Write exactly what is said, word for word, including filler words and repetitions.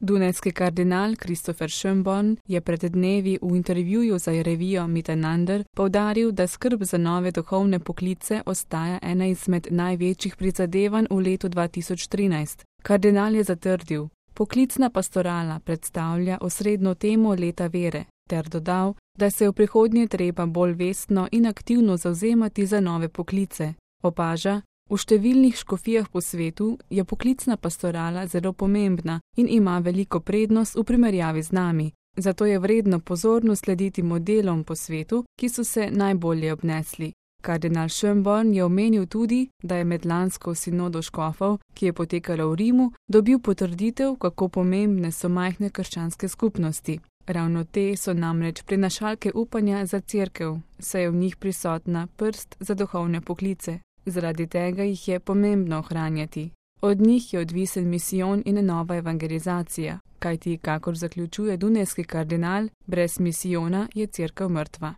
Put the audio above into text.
Dunajski kardinal Christopher Schönborn je pred dnevi v intervjuju za revijo Miteinander poudaril, da skrb za nove duhovne poklice ostaja ena izmed največjih prizadevanj v letu dva tisoč trinajst. Kardinal je zatrdil: "Poklicna pastorala predstavlja osrednjo temo leta vere", ter dodal, da se je v prihodnje treba bolj vestno in aktivno zavzemati za nove poklice. Opaža: "V številnih škofijah po svetu je poklicna pastorala zelo pomembna in ima veliko prednost v primerjavi z nami, zato je vredno pozorno slediti modelom po svetu, ki so se najbolje obnesli." Kardinal Schönborn je omenil tudi, da je med lansko sinodo škofov, ki je potekala v Rimu, dobil potrditev, kako pomembne so majhne krščanske skupnosti. Ravno te so namreč prinašalke upanja za cerkev, saj je v njih prisotna prst za duhovne poklice. Zaradi tega jih je pomembno ohranjati. Od njih je odvisen misijon in nova evangelizacija, kajti, kakor zaključuje dunajski kardinal, brez misijona je cerkev mrtva.